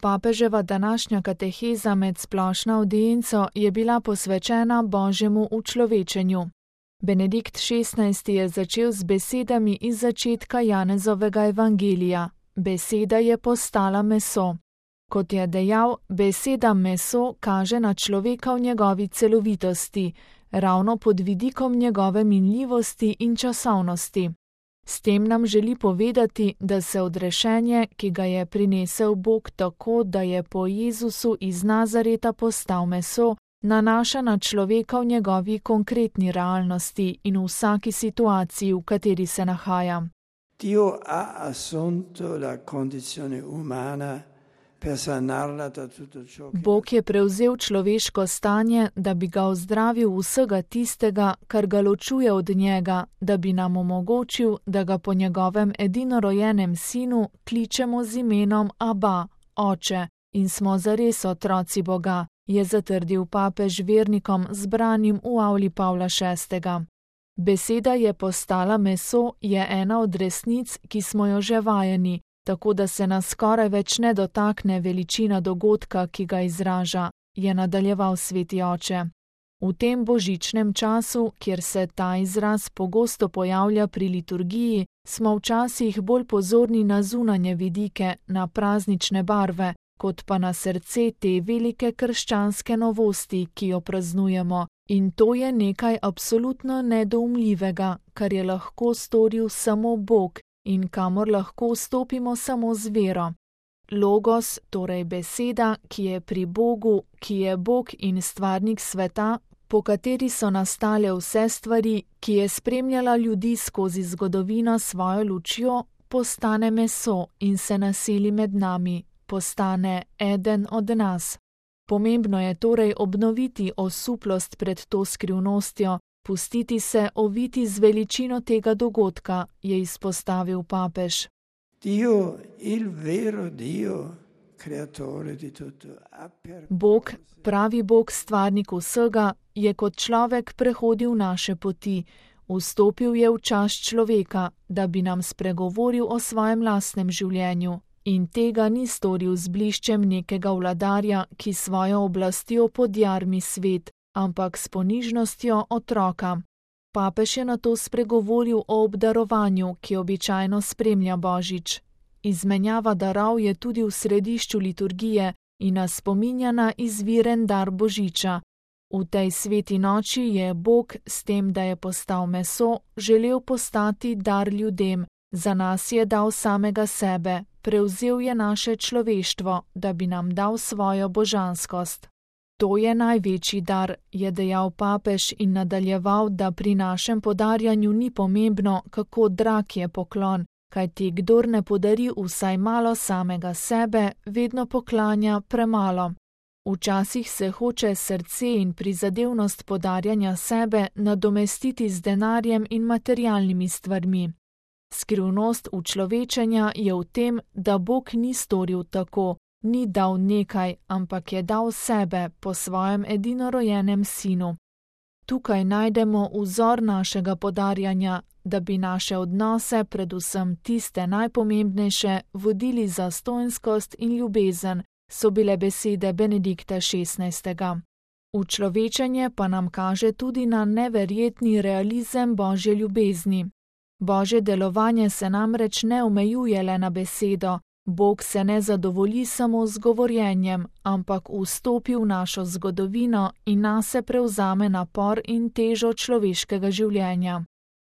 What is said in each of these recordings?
Papeževa današnja kateheza med splošno avdienco je bila posvečena Božjemu učlovečenju. Benedikt XVI. Je začel z besedami iz začetka Janezovega evangelija: Beseda je postala meso. Kot je dejal, beseda meso kaže na človeka v njegovi celovitosti, ravno pod vidikom njegove minljivosti in časovnosti. S tem nam želi povedati, da se odrešenje, ki ga je prinesel Bog tako, da je po Jezusu iz Nazareta postal meso, nanaša na človeka v njegovi konkretni realnosti in v vsaki situaciji, v kateri se nahaja. Dio ha assunto la condizione umana per sanarla da tutto ciò che... Bog je prevzel človeško stanje, da bi ga ozdravil vsega tistega, kar ga ločuje od njega, da bi nam omogočil, da ga po njegovem edinorojenem sinu kličemo z imenom Aba, Oče, in smo zares otroci Boga, je zatrdil papež vernikom zbranim v avli Pavla VI. Beseda je postala meso je ena od resnic, ki smo jo že vajeni, tako da se nas skoraj več ne dotakne veličina dogodka, ki ga izraža, je nadaljeval sveti oče. V tem božičnem času, kjer se ta izraz pogosto pojavlja pri liturgiji, smo včasih bolj pozorni na zunanje vidike, na praznične barve, kot pa na srce te velike krščanske novosti, ki jo praznujemo. In to je nekaj absolutno nedoumljivega, kar je lahko storil samo Bog in kamor lahko vstopimo samo z vero. Logos, torej beseda, ki je pri Bogu, ki je Bog in stvarnik sveta, po kateri so nastale vse stvari, ki je spremljala ljudi skozi zgodovino svojo lučjo, postane meso in se naseli med nami, postane eden od nas. Pomembno je torej obnoviti osuplost pred to skrivnostjo, pustiti se oviti z veličino tega dogodka, je izpostavil papež. Dio, il vero Dio, creatore di tutto, Bog, pravi Bog, stvarnik vsega, je kot človek prehodil naše poti, vstopil je v čas človeka, da bi nam spregovoril o svojem lastnem življenju. In tega ni storil z bliščem nekega vladarja, ki svojo oblastjo podjarmi svet, ampak s ponižnostjo otroka. Papež je nato spregovoril o obdarovanju, ki običajno spremlja Božič. Izmenjava darov je tudi v središču liturgije in nas spominja na izviren dar Božiča. V tej sveti noči je Bog, s tem, da je postal meso, želel postati dar ljudem, za nas je dal samega sebe. Prevzel je naše človeštvo, da bi nam dal svojo božanskost. To je največji dar, je dejal papež in nadaljeval, da pri našem podarjanju ni pomembno, kako drag je poklon, kajti kdor ne podari vsaj malo samega sebe, vedno poklanja premalo. Včasih se hoče srce in prizadevnost podarjanja sebe nadomestiti z denarjem in materialnimi stvarmi. Skrivnost učlovečenja je v tem, da Bog ni storil tako, ni dal nekaj, ampak je dal sebe po svojem edinorojenem sinu. Tukaj najdemo vzor našega podarjanja, da bi naše odnose, predvsem tiste najpomembnejše, vodili zastonjskost in ljubezen, so bile besede Benedikta XVI. Učlovečenje pa nam kaže tudi na neverjetni realizem Božje ljubezni. Božje delovanje se namreč ne omejuje le na besedo, Bog se ne zadovolji samo z govorjenjem, ampak vstopi v našo zgodovino in nase prevzame napor in težo človeškega življenja.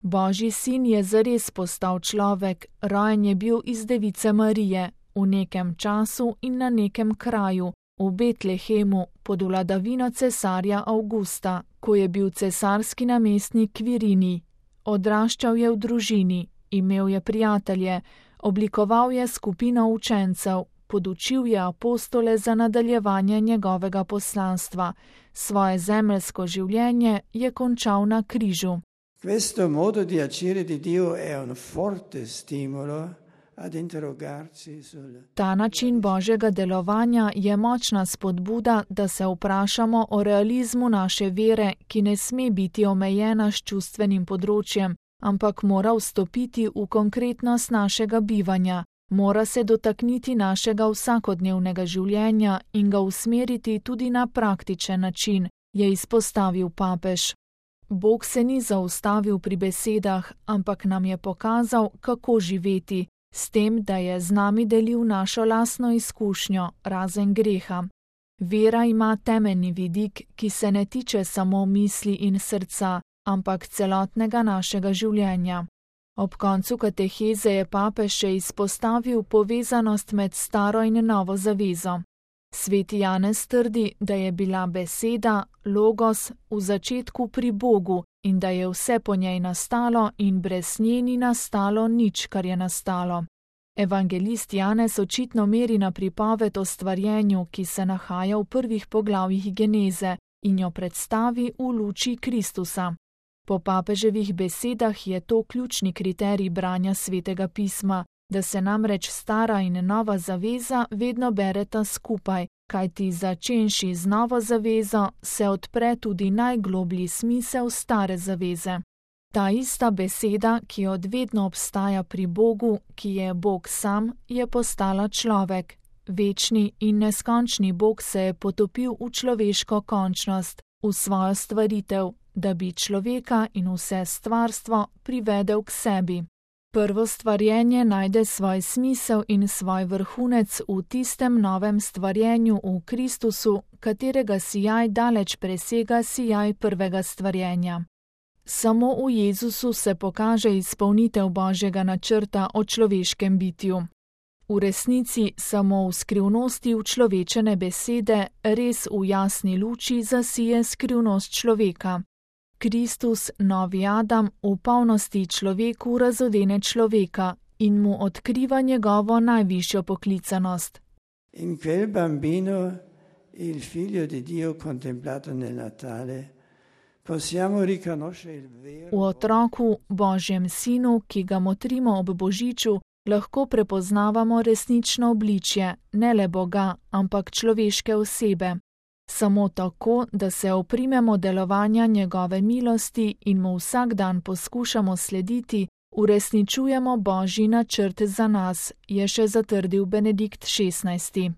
Božji sin je zares postal človek, rojen je bil iz device Marije, v nekem času in na nekem kraju, v Betlehemu, pod vladavino cesarja Avgusta, ko je bil cesarski namestnik Kvirinij. Odraščal je v družini, imel je prijatelje, oblikoval je skupino učencev, podučil je apostole za nadaljevanje njegovega poslanstva, svoje zemeljsko življenje je končal na križu. Questo modo di agire di Dio è un forte stimolo ad interrogarsi sul... Ta način Božjega delovanja je močna spodbuda, da se vprašamo o realizmu naše vere, ki ne sme biti omejena s čustvenim področjem, ampak mora vstopiti v konkretnost našega bivanja, Mora se dotakniti našega vsakodnevnega življenja in ga usmeriti tudi na praktičen način, je izpostavil papež. Bog se ni zaustavil pri besedah, ampak nam je pokazal, kako živeti, s tem, da je z nami delil našo lastno izkušnjo, razen greha. Vera ima temeljni vidik, ki se ne tiče samo misli in srca, ampak celotnega našega življenja. Ob koncu kateheze je papež še izpostavil povezanost med staro in novo zavezo. Sveti Janez trdi, da je bila beseda, logos, v začetku pri Bogu in da je vse po njej nastalo in brez nje ni nastalo nič, kar je nastalo. Evangelist Janez očitno meri na pripoved o stvarjenju, ki se nahaja v prvih poglavjih Geneze in jo predstavi v luči Kristusa. Po papeževih besedah je to ključni kriterij branja Svetega pisma, da se namreč stara in nova zaveza vedno bereta skupaj, kajti začenši z novo zavezo se odpre tudi najgloblji smisel stare zaveze. Ta ista beseda, ki od vedno obstaja pri Bogu, ki je Bog sam, je postala človek. Večni in neskončni Bog se je potopil v človeško končnost, v svojo stvaritev, da bi človeka in vse stvarstvo privedel k sebi. Prvo stvarjenje najde svoj smisel in svoj vrhunec v tistem novem stvarjenju v Kristusu, katerega sijaj daleč presega sijaj prvega stvarjenja. Samo v Jezusu se pokaže izpolnitev Božjega načrta o človeškem bitju. V resnici samo v skrivnosti učlovečene besede res v jasni luči zasije skrivnost človeka. Kristus, novi Adam, v polnosti človeku razodene človeka in mu odkriva njegovo najvišjo poklicanost. In quel bambino, il figlio di Dio contemplato nel Natale, possiamo riconoscere il vero. V otroku, Božjem sinu, ki ga motrimo ob Božiču, lahko prepoznavamo resnično obličje, ne le Boga, ampak človeške osebe. Samo tako, da se oprimemo delovanja njegove milosti in mu vsak dan poskušamo slediti, uresničujemo Božji načrt za nas, je še zatrdil Benedikt XVI.